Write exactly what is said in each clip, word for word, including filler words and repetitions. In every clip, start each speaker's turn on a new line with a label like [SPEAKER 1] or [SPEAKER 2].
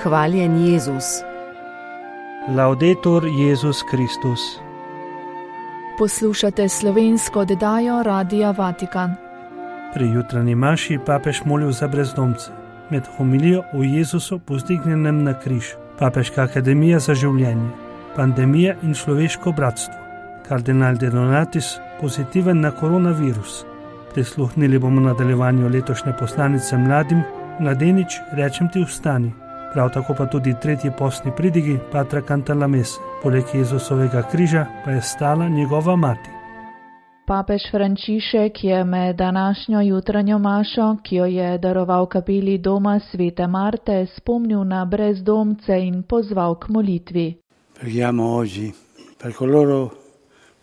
[SPEAKER 1] Hvaljen Jezus.
[SPEAKER 2] Laudetur Jezus Kristus.
[SPEAKER 3] Poslušate slovensko oddajo Radia Vatikan.
[SPEAKER 2] Pri jutranji maši papež molil za brezdomce. Med homilijo o Jezusu povzdignjenem na križ, Papeška akademija za življenje, pandemija in človeško bratstvo, kardinal De Donatis pozitiven na koronavirus. Prisluhnili bomo nadaljevanju letošnje poslanice mladim, mladenič, rečem ti vstani. Prav tako pa tudi tretji postni pridigi Patra Cantalamesse. Poleg Jezusovega križa pa je stala njegova mati.
[SPEAKER 3] Papež Frančišek je med današnjo jutranjo mašo, ki jo je daroval kapeli doma Svete Marte, spomnil na brezdomce in pozval k molitvi.
[SPEAKER 4] Preghiamo oggi per coloro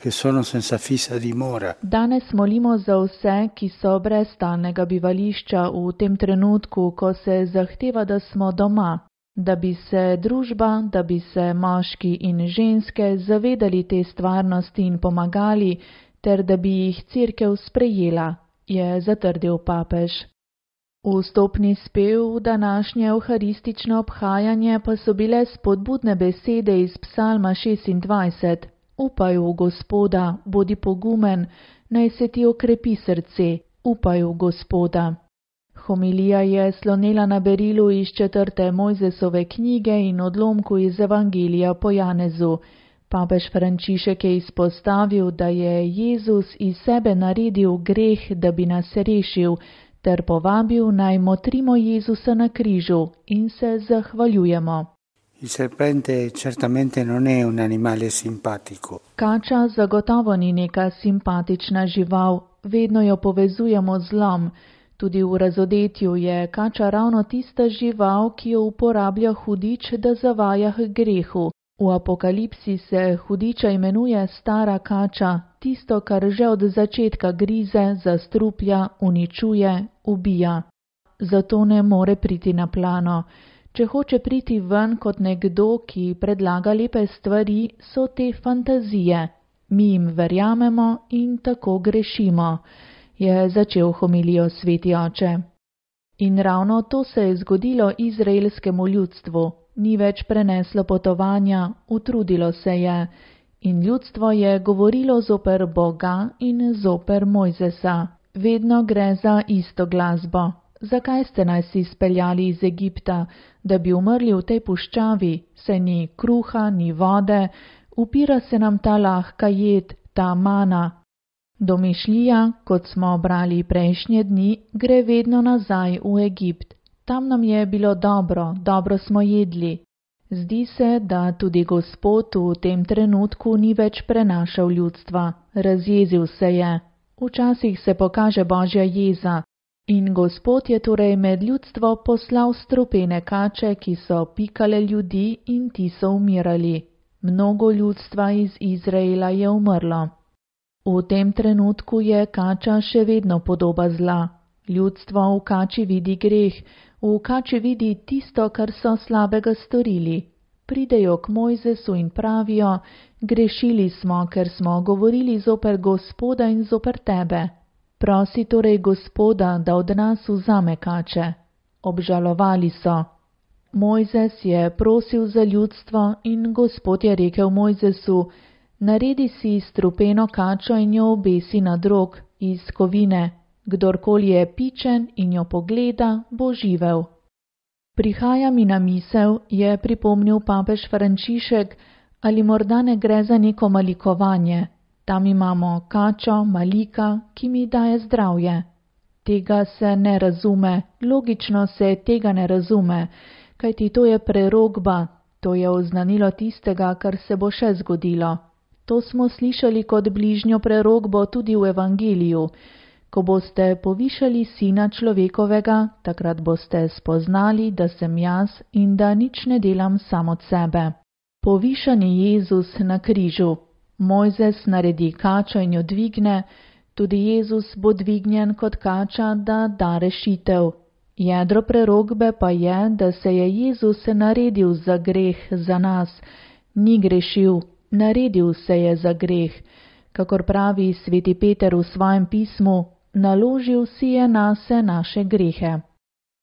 [SPEAKER 4] che sono senza fissa dimora.
[SPEAKER 3] Danes molimo za vse, ki so brez stalnega bivališča v tem trenutku, ko se zahteva, da smo doma, da bi se družba, da bi se moški in ženske zavedali te stvarnosti in pomagali, ter da bi jih Cerkev sprejela, je zatrdil papež. Vstopni spev v današnje evharistično obhajanje pa so bile spodbudne besede iz Psalma šestindvajset. Upaj v Gospoda, bodi pogumen, naj se ti okrepi srce, upaj v Gospoda. Homilija je slonela na berilu iz četrte Mojzesove knjige in odlomku iz Evangelija po Janezu. Papež Frančišek je izpostavil, da je Jezus iz sebe naredil greh, da bi nas rešil, ter povabil naj motrimo Jezusa na križu in se zahvaljujemo.
[SPEAKER 4] Il serpente certamente non è un animale simpatico.
[SPEAKER 3] Kača zagotovo ni neka simpatična žival, vedno jo povezujemo z zlom. Tudi v razodetju je kača ravno tista žival, ki jo uporablja hudič, da zavaja k grehu. V Apokalipsi se hudiča imenuje stara kača, tisto, kar že od začetka grize, zastruplja, uničuje, ubija. Zato ne more priti na plano. Če hoče priti ven kot nekdo, ki predlaga lepe stvari, so te fantazije. Mi jim verjamemo in tako grešimo, je začel homilijo sveti oče. In ravno to se je zgodilo izraelskemu ljudstvu. Ni več preneslo potovanja, utrudilo se je. In ljudstvo je govorilo zoper Boga in zoper Mojzesa. Vedno gre za isto glasbo. Zakaj ste nas izpeljali iz Egipta, da bi umrli v tej puščavi, se ni kruha, ni vode, upira se nam ta lahka jed, ta mana. Domišljija, kot smo brali prejšnje dni, gre vedno nazaj v Egipt. Tam nam je bilo dobro, dobro smo jedli. Zdi se, da tudi Gospod v tem trenutku ni več prenašal ljudstva, razjezil se je. Včasih se pokaže Božja jeza. In Gospod je torej med ljudstvo poslal strupene kače, ki so pikale ljudi in ti so umirali. Mnogo ljudstva iz Izraela je umrlo. V tem trenutku je kača še vedno podoba zla. Ljudstvo v kači vidi greh, v kači vidi tisto, kar so slabega storili. Pridejo k Mojzesu in pravijo, grešili smo, ker smo govorili zoper Gospoda in zoper tebe. Prosi torej Gospoda, da od nas vzame kače. Obžalovali so. Mojzes je prosil za ljudstvo in Gospod je rekel Mojzesu, naredi si strupeno kačo in jo obesi na drog iz kovine. Kdorkoli je pičen in jo pogleda, bo živel. Prihaja mi na misel, je pripomnil papež Frančišek, ali morda ne gre za neko malikovanje. Tam imamo kačo, malika, ki mi daje zdravje. Tega se ne razume, logično se tega ne razume, kajti to je prerokba, to je oznanilo tistega, kar se bo še zgodilo. To smo slišali kot bližnjo prerokbo tudi v Evangeliju. Ko boste povišali Sina človekovega, takrat boste spoznali, da sem jaz in da nič ne delam sam od sebe. Povišan je Jezus na križu. Mojzes naredi kačo in jo dvigne, tudi Jezus bo dvignjen kot kača, da da rešitev. Jedro prerokbe pa je, da se je Jezus naredil za greh za nas. Ni grešil, naredil se je za greh. Kakor pravi sveti Peter v svojem pismu, naložil si je nase naše grehe.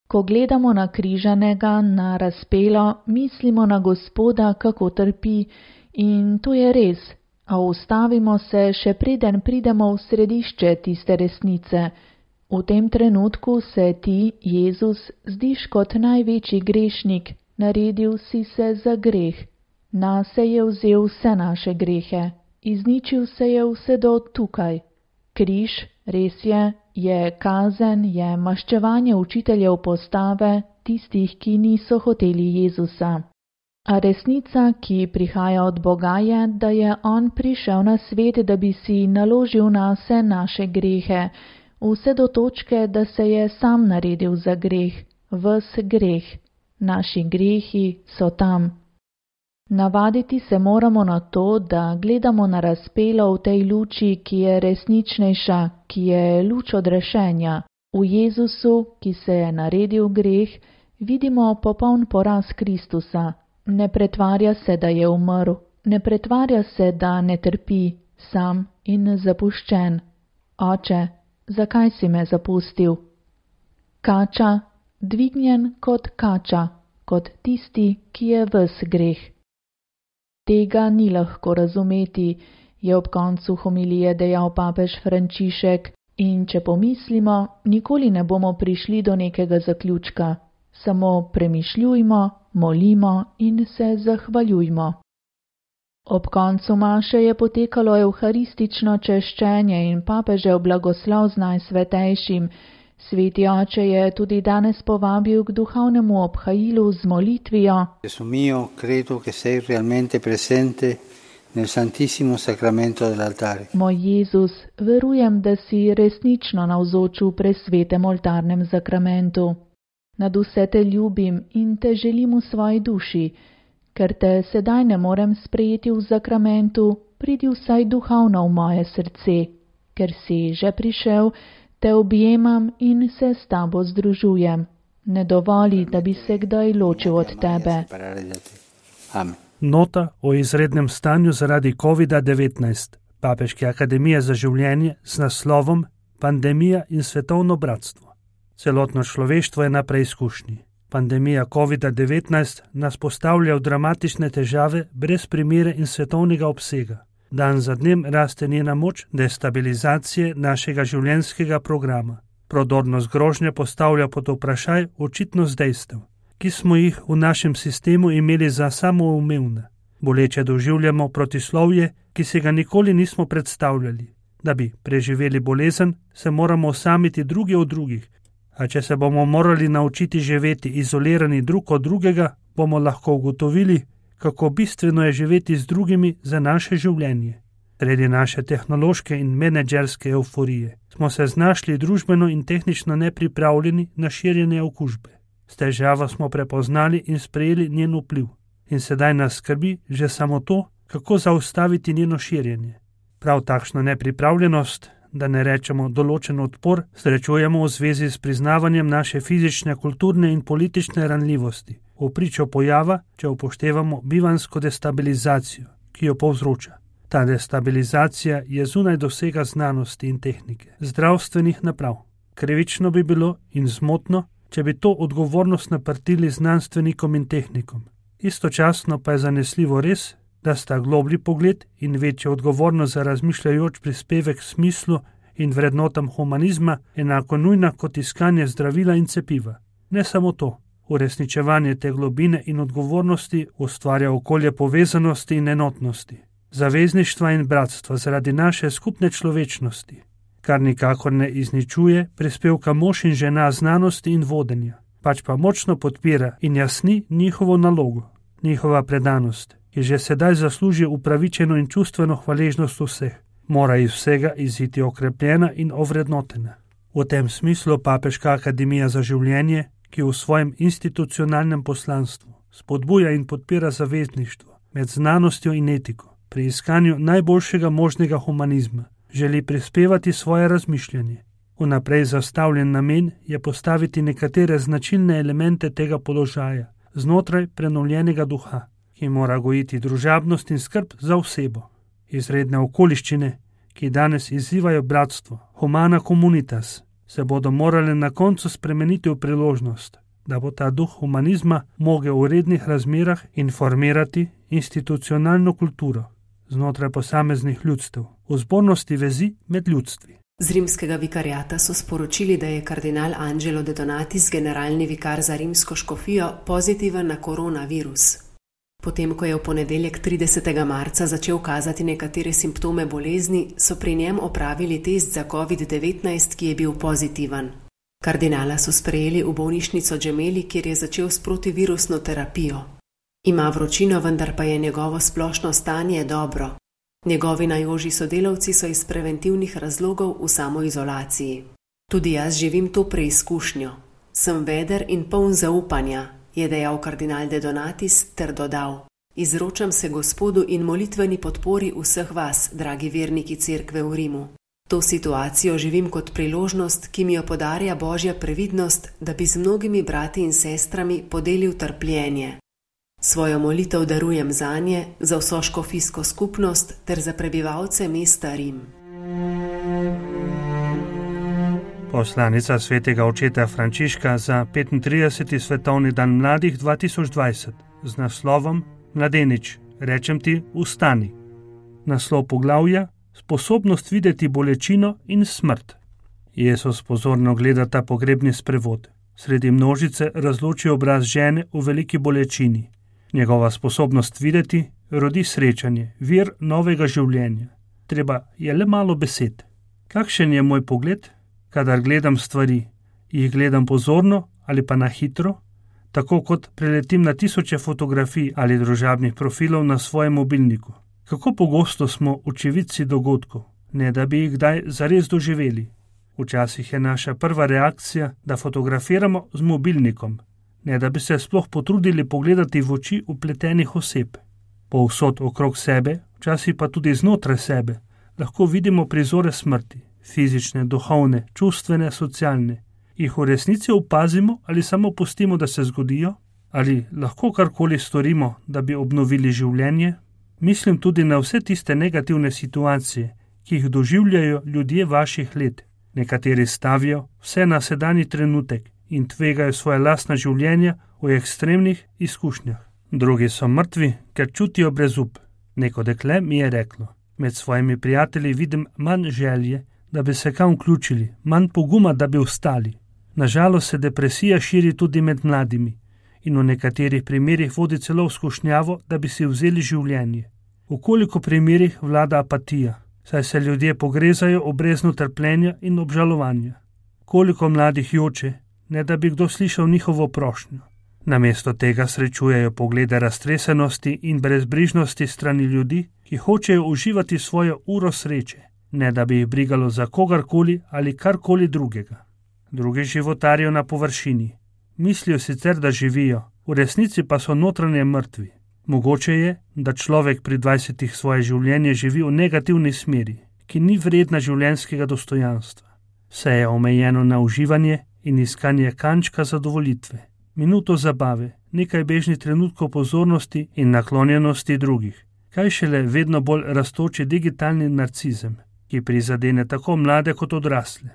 [SPEAKER 3] Ko gledamo na križanega, na razpelo, mislimo na Gospoda, kako trpi, in to je res, a ustavimo se, še preden pridemo v središče tiste resnice. V tem trenutku se ti, Jezus, zdiš kot največji grešnik, naredil si se za greh. Nase je vzel vse naše grehe, izničil se je vse do tukaj. Križ, res je, je kazen, je maščevanje učiteljev postave, tistih, ki niso hoteli Jezusa. A resnica, ki prihaja od Boga, je, da je On prišel na svet, da bi si naložil nase naše grehe, vse do točke, da se je sam naredil za greh, ves greh. Naši grehi so tam. Navaditi se moramo na to, da gledamo na razpelo v tej luči, ki je resničnejša, ki je luč odrešenja. V Jezusu, ki se je naredil greh, vidimo popoln poraz Kristusa. Ne pretvarja se, da je umrl, ne pretvarja se, da ne trpi, sam in zapuščen. Oče, zakaj si me zapustil? Kača, dvignjen kot kača, kot tisti, ki je ves greh. Tega ni lahko razumeti, je ob koncu homilije dejal papež Frančišek, in če pomislimo, nikoli ne bomo prišli do nekega zaključka. Samo premišljujmo, molimo in se zahvaljujmo. Ob koncu maše je potekalo evharistično češčenje in papežev blagoslov z Najsvetejšim. Sveti oče je tudi danes povabil k duhovnemu obhajilu z molitvijo.
[SPEAKER 4] Gesù mio, credo che sei realmente presente nel Santissimo Sacramento dell'altare.
[SPEAKER 3] Moj Jezus, verujem, da si resnično navzoč v presvetem oltarnem zakramentu. Nad vse te ljubim in te želim v svoji duši. Ker te sedaj ne morem sprejeti v zakramentu, pridi vsaj duhovno v moje srce. Ker si že prišel, te objemam in se s tabo združujem. Ne dovoli, da bi se kdaj ločil od tebe.
[SPEAKER 4] Amen.
[SPEAKER 2] Nota o izrednem stanju zaradi kovida devetnajst Papeške akademije za življenje z naslovom Pandemija in svetovno bratstvo. Celotno človeštvo je na preizkušnji. Pandemija kovida devetnajst nas postavlja v dramatične težave brez primere in svetovnega obsega. Dan za dnem raste njena moč destabilizacije našega življenjskega programa. Prodornost grožnje postavlja pod vprašaj očitnost dejstev, ki smo jih v našem sistemu imeli za samoumevne. Boleče doživljamo protislovje, ki si ga nikoli nismo predstavljali. Da bi preživeli bolezen, se moramo osamiti drugi od drugih, a če se bomo morali naučiti živeti izolirani drug od drugega, bomo lahko ugotovili, kako bistveno je živeti z drugimi za naše življenje. Sredi naše tehnološke in menedžerske euforije smo se znašli družbeno in tehnično nepripravljeni na širjenje okužbe. S težavo smo prepoznali in sprejeli njen vpliv. In sedaj nas skrbi že samo to, kako zaustaviti njeno širjenje. Prav takšno nepripravljenost, da ne rečemo določen odpor, srečujemo v zvezi s priznavanjem naše fizične, kulturne in politične ranljivosti, v pričo pojava, če upoštevamo bivansko destabilizacijo, ki jo povzroča. Ta destabilizacija je zunaj dosega znanosti in tehnike, zdravstvenih naprav. Krivično bi bilo in zmotno, če bi to odgovornost naprtili znanstvenikom in tehnikom. Istočasno pa je zanesljivo res, da sta globlji pogled in večja odgovornost za razmišljajoč prispevek smislu in vrednotam humanizma enako nujna kot iskanje zdravila in cepiva. Ne samo to, uresničevanje te globine in odgovornosti ustvarja okolje povezanosti in enotnosti, zavezništva in bratstva zaradi naše skupne človečnosti, kar nikakor ne izničuje prispevka mož in žena znanosti in vodenja, pač pa močno podpira in jasni njihovo nalogo, njihova predanost, ki že sedaj zasluži upravičeno in čustveno hvaležnost vseh, mora iz vsega iziti okrepljena in ovrednotena. V tem smislu Papeška akademija za življenje, ki v svojem institucionalnem poslanstvu spodbuja in podpira zavezništvo med znanostjo in etiko pri iskanju najboljšega možnega humanizma, želi prispevati svoje razmišljanje. Vnaprej zastavljen namen je postaviti nekatere značilne elemente tega položaja znotraj prenovljenega duha, ki mora gojiti družabnost in skrb za osebo. Izredne okoliščine, ki danes izzivajo bratstvo, humana communitas, se bodo morale na koncu spremeniti v priložnost, da bo ta duh humanizma mogel v rednih razmerah informirati institucionalno kulturo znotraj posameznih ljudstev, v zbornosti vezi med ljudstvi.
[SPEAKER 1] Z rimskega vikariata so sporočili, da je kardinal Angelo De Donatis, generalni vikar za rimsko škofijo, pozitiven na koronavirus. Potem, ko je v ponedeljek tridesetega marca začel kazati nekatere simptome bolezni, so pri njem opravili test za covid devetnajst, ki je bil pozitiven. Kardinala so sprejeli v bolnišnico Gemelli, kjer je začel s protivirusno terapijo. Ima vročino, vendar pa je njegovo splošno stanje dobro. Njegovi najožji sodelavci so iz preventivnih razlogov v samoizolaciji. Tudi jaz živim to preizkušnjo. Sem veder in poln zaupanja, je dejal kardinal De Donatis ter dodal: Izročam se Gospodu in molitveni podpori vseh vas, dragi verniki cerkve v Rimu. To situacijo živim kot priložnost, ki mi jo podarja Božja previdnost, da bi z mnogimi brati in sestrami podelil trpljenje. Svojo molitev darujem zanje, za vso škofijsko skupnost ter za prebivalce mesta Rim.
[SPEAKER 2] Poslanica svetega očeta Frančiška za petintrideseti svetovni dan mladih dva tisoč dvajset z naslovom Mladenič, rečem ti, vstani. Naslov poglavja: Sposobnost videti bolečino in smrt. Jezus pozorno gleda ta pogrebni sprevod. Sredi množice razloči obraz žene v veliki bolečini. Njegova sposobnost videti rodi srečanje, vir novega življenja. Treba je le malo besed. Kakšen je moj pogled, kadar gledam stvari? Jih gledam pozorno ali pa na hitro, tako kot preletim na tisoče fotografij ali družabnih profilov na svojem mobilniku? Kako pogosto smo očividci dogodkov, ne da bi jih kdaj zares doživeli? Včasih je naša prva reakcija, da fotografiramo z mobilnikom, ne da bi se sploh potrudili pogledati v oči upletenih oseb. Povsod okrog sebe, včasih pa tudi znotraj sebe, lahko vidimo prizore smrti, fizične, duhovne, čustvene, socialne. Jih v resnici opazimo ali samo pustimo, da se zgodijo? Ali lahko karkoli storimo, da bi obnovili življenje? Mislim tudi na vse tiste negativne situacije, ki jih doživljajo ljudje vaših let. Nekateri stavijo vse na sedanji trenutek in tvegajo svoje lastna življenja v ekstremnih izkušnjah. Drugi so mrtvi, ker čutijo brezup. Neko dekle mi je reklo: med svojimi prijatelji vidim manj želje, da bi se kam vključili, manj poguma, da bi vstali. Nažalost se depresija širi tudi med mladimi in v nekaterih primerih vodi celo v skušnjavo, da bi si vzeli življenje. V koliko primerih vlada apatija, saj se ljudje pogrezajo v breznu trpljenja in obžalovanja. Koliko mladih joče, ne da bi kdo slišal njihovo prošnjo. Namesto tega srečujejo poglede raztresenosti in brezbrižnosti strani ljudi, ki hočejo uživati svojo uro sreče, ne da bi jih brigalo za kogarkoli ali karkoli drugega. Drugi životarijo na površini. Mislijo sicer, da živijo, v resnici pa so notranje mrtvi. Mogoče je, da človek pri dvajsetih svoje življenje živi v negativni smeri, ki ni vredna življenjskega dostojanstva. Vse je omejeno na uživanje in iskanje kančka zadovolitve, minuto zabave, nekaj bežnih trenutkov pozornosti in naklonjenosti drugih. Kaj šele vedno bolj rastoči digitalni narcizem, ki prizadene tako mlade kot odrasle.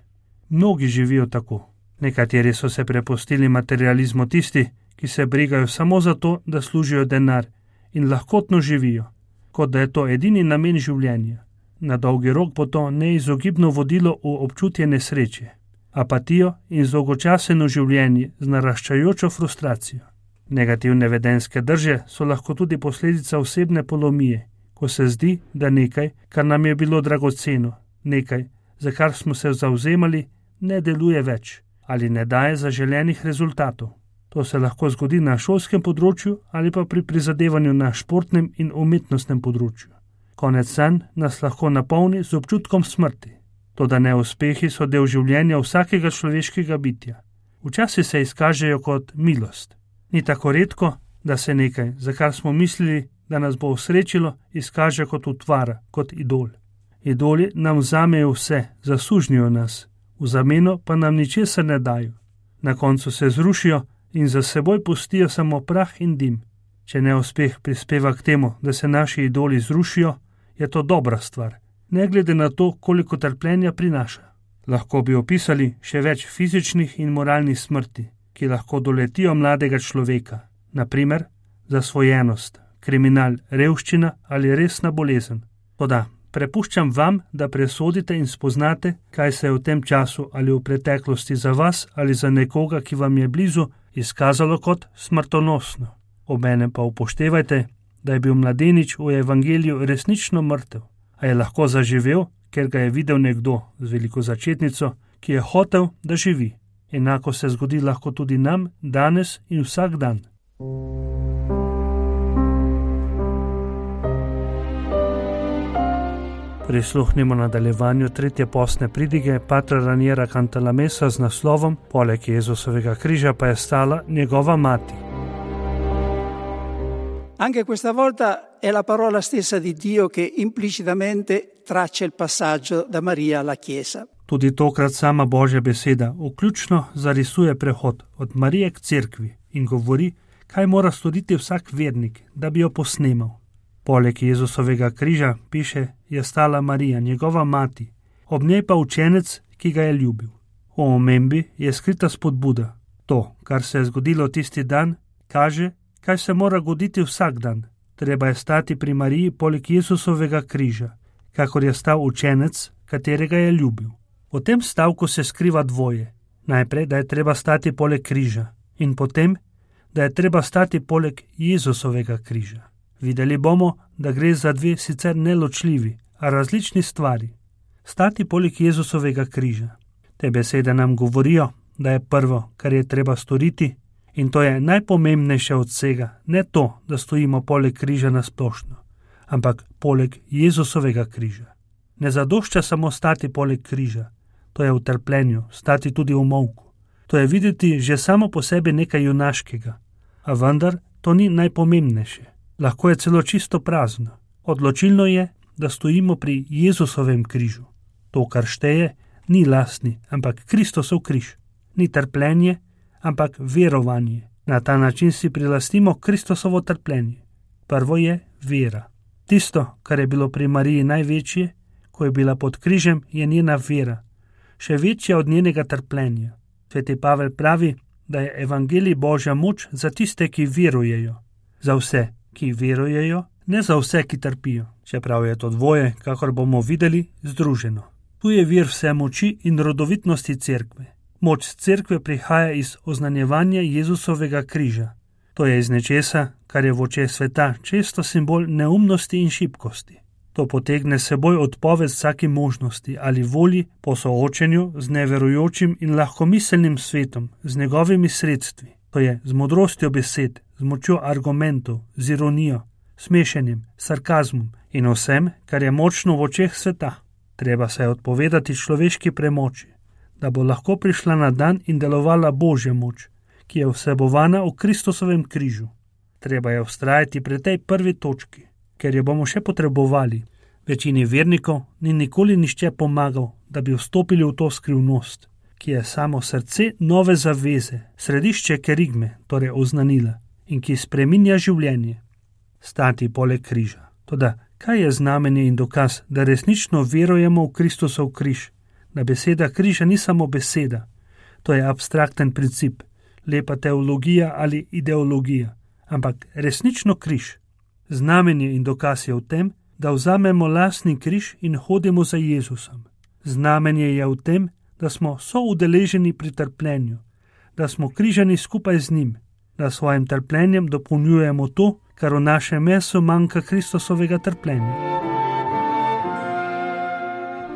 [SPEAKER 2] Mnogi živijo tako. Nekateri so se prepustili materializmu, tisti, ki se brigajo samo zato, da služijo denar in lahkotno živijo, kot da je to edini namen življenja. Na dolgi rok bo to neizogibno vodilo v občutje nesreče, apatijo in dolgočaseno življenje z naraščajočo frustracijo. Negativne vedenjske drže so lahko tudi posledica osebne polomije, ko se zdi, da nekaj, kar nam je bilo dragoceno, nekaj, za kar smo se zavzemali, ne deluje več ali ne daje zaželenih rezultatov. To se lahko zgodi na šolskem področju ali pa pri prizadevanju na športnem in umetnostnem področju. Konec sanj nas lahko napolni z občutkom smrti. Toda neuspehi so del življenja vsakega človeškega bitja. Včasih se izkažejo kot milost. Ni tako redko, da se nekaj, za kar smo mislili, da nas bo osrečilo, izkaže kot utvara, kot idol. Idoli nam vzamejo vse, zasužnijo nas, v zameno pa nam ničesar ne dajo. Na koncu se zrušijo in za seboj pustijo samo prah in dim. Če neuspeh prispeva k temu, da se naši idoli zrušijo, je to dobra stvar, ne glede na to, koliko trpljenja prinaša. Lahko bi opisali še več fizičnih in moralnih smrti, ki lahko doletijo mladega človeka, naprimer zasvojenost, kriminal, revščina ali resna bolezen. Toda prepuščam vam, da presodite in spoznate, kaj se je v tem času ali v preteklosti za vas ali za nekoga, ki vam je blizu, izkazalo kot smrtonosno. Obenem pa upoštevajte, da je bil mladenič v evangeliju resnično mrtev, a je lahko zaživel, ker ga je videl nekdo z veliko začetnico, ki je hotel, da živi. Enako se zgodi lahko tudi nam danes in vsak dan. Prisluhnimo nadaljevanju tretje postne pridige Patra Raniera Cantalamessa z naslovom Poleg Jezusovega križa pa je stala njegova mati.
[SPEAKER 5] Anche questa volta è la parola stessa di Dio che implicitamente traccia il passaggio da Maria alla Chiesa.
[SPEAKER 2] Tudi tokrat sama Božja beseda vključno zarisuje prehod od Marije k cerkvi in govori, kaj mora storiti vsak vernik, da bi jo posnemal. Poleg Jezusovega križa, piše, je stala Marija, njegova mati, ob njej pa učenec, ki ga je ljubil. V omembi je skrita spodbuda. To, kar se je zgodilo tisti dan, kaže, kaj se mora goditi vsak dan. Treba je stati pri Mariji poleg Jezusovega križa, kakor je stal učenec, katerega je ljubil. V tem stavku se skriva dvoje. Najprej, da je treba stati poleg križa in potem, da je treba stati poleg Jezusovega križa. Videli bomo, da gre za dve sicer neločljivi, a različni stvari. Stati poleg Jezusovega križa. Te besede nam govorijo, da je prvo, kar je treba storiti, in to je najpomembnejše od vsega, ne to, da stojimo poleg križa na splošno, ampak poleg Jezusovega križa. Ne zadošča samo stati poleg križa, to je v trpljenju, stati tudi v molku. To je videti že samo po sebi nekaj junaškega, a vendar to ni najpomembnejše. Lahko je celo čisto prazno. Odločilno je, da stojimo pri Jezusovem križu. To, kar šteje, ni lastni, ampak Kristosov križ. Ni trpljenje, ampak verovanje. Na ta način si prilastimo Kristosovo trpljenje. Prvo je vera. Tisto, kar je bilo pri Mariji največje, ko je bila pod križem, je njena vera. Še večja od njenega trpljenja. Sveti Pavel pravi, da je evangelij Božja moč za tiste, ki verujejo. Za vse, ki verujejo, ne za vse, ki trpijo. Čeprav je to dvoje, kakor bomo videli, združeno. Tu je vir vse moči in rodovitnosti cerkve. Moč cerkve prihaja iz oznanjevanja Jezusovega križa. To je iz nečesa, kar je v očeh sveta često simbol neumnosti in šibkosti. To potegne seboj odpoved vsaki možnosti ali volji po soočenju z neverujočim in lahkomiselnim svetom, z njegovimi sredstvi. To je z modrostjo besed, z močjo argumentov, z ironijo, smešenjem, sarkazmom in vsem, kar je močno v očeh sveta. Treba se odpovedati človeški premoči, da bo lahko prišla na dan in delovala Božja moč, ki je vsebovana v Kristusovem križu. Treba je vztrajati pri tej prvi točki, ker jo bomo še potrebovali. Večini vernikov ni nikoli nišče pomagal, da bi vstopili v to skrivnost, ki je samo srce nove zaveze, središče kerigme, torej oznanila, in ki spreminja življenje. Stati poleg križa. Toda, kaj je znamenje in dokaz, da resnično verujemo v Kristusov križ, da beseda križa ni samo beseda, to je abstrakten princip, lepa teologija ali ideologija, ampak resnično križ. Znamenje in dokaz je v tem, da vzamemo lastni križ in hodimo za Jezusom. Znamenje je v tem, da smo soudeleženi pri trpljenju, da smo križani skupaj z njim, da svojim trpljenjem dopolnjujemo to, kar v našem mesu manjka Kristusovega trpljenja.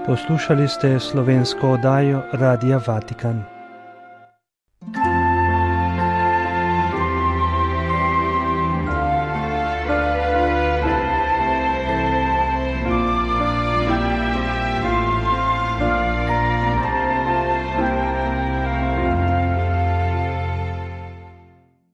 [SPEAKER 6] Poslušali ste slovensko oddajo Radia Vatikan.